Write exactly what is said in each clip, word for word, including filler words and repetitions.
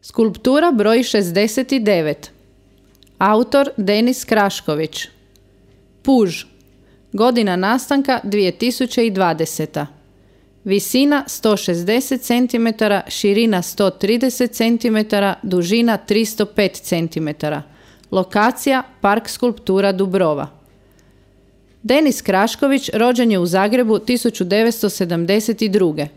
Skulptura broj šezdeset devet. Autor Denis Krašković. Puž. Godina nastanka dvije tisuće dvadeseta. Visina sto šezdeset centimetara, širina sto trideset centimetara, dužina tristo pet centimetara. Lokacija Park skulptura Dubrova. Denis Krašković rođen je u Zagrebu tisuću devetsto sedamdeset druge.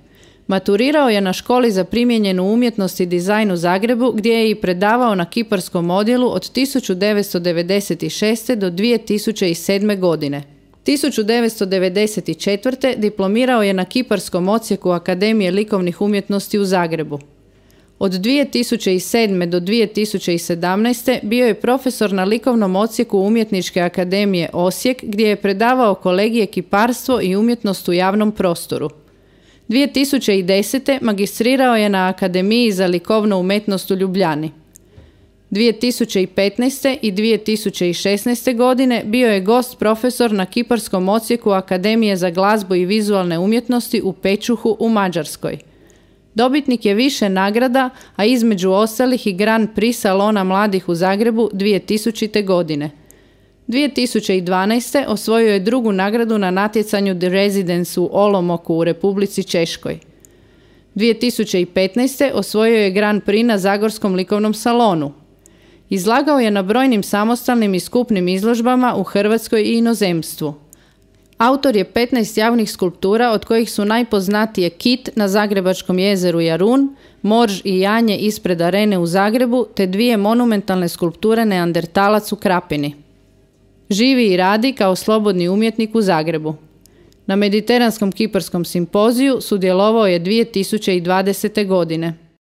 Maturirao je na školi za primijenjenu umjetnost i dizajn u Zagrebu, gdje je i predavao na kiparskom odjelu od tisuću devetsto devedeset šeste. do dvije tisuće sedme. godine. tisuću devetsto devedeset četvrte. diplomirao je na kiparskom odsjeku Akademije likovnih umjetnosti u Zagrebu. Od dvije tisuće sedme. do dvije tisuće sedamnaeste. bio je profesor na likovnom odsjeku Umjetničke akademije Osijek, gdje je predavao kolegije kiparstvo i umjetnost u javnom prostoru. dvije tisuće desete. magistrirao je na Akademiji za likovnu umetnost u Ljubljani. dvije tisuće petnaeste. i dvije tisuće šesnaeste. godine bio je gost profesor na kiparskom odsjeku Akademije za glazbu i vizualne umjetnosti u Pečuhu u Mađarskoj. Dobitnik je više nagrada, a između ostalih i Grand Prix Salona mladih u Zagrebu dvije tisućite. godine. dvije tisuće dvanaeste. osvojio je drugu nagradu na natjecanju The Residence u Olomoku u Republici Češkoj. dvije tisuće petnaeste. osvojio je Grand Prix na Zagorskom likovnom salonu. Izlagao je na brojnim samostalnim i skupnim izložbama u Hrvatskoj i inozemstvu. Autor je petnaest javnih skulptura, od kojih su najpoznatije Kit na Zagrebačkom jezeru Jarun, Morž i Janje ispred Arene u Zagrebu, te dvije monumentalne skulpture Neandertalac u Krapini. Živi i radi kao slobodni umjetnik u Zagrebu. Na Mediteranskom kiparskom simpoziju sudjelovao je dvije tisuće dvadesete. godine.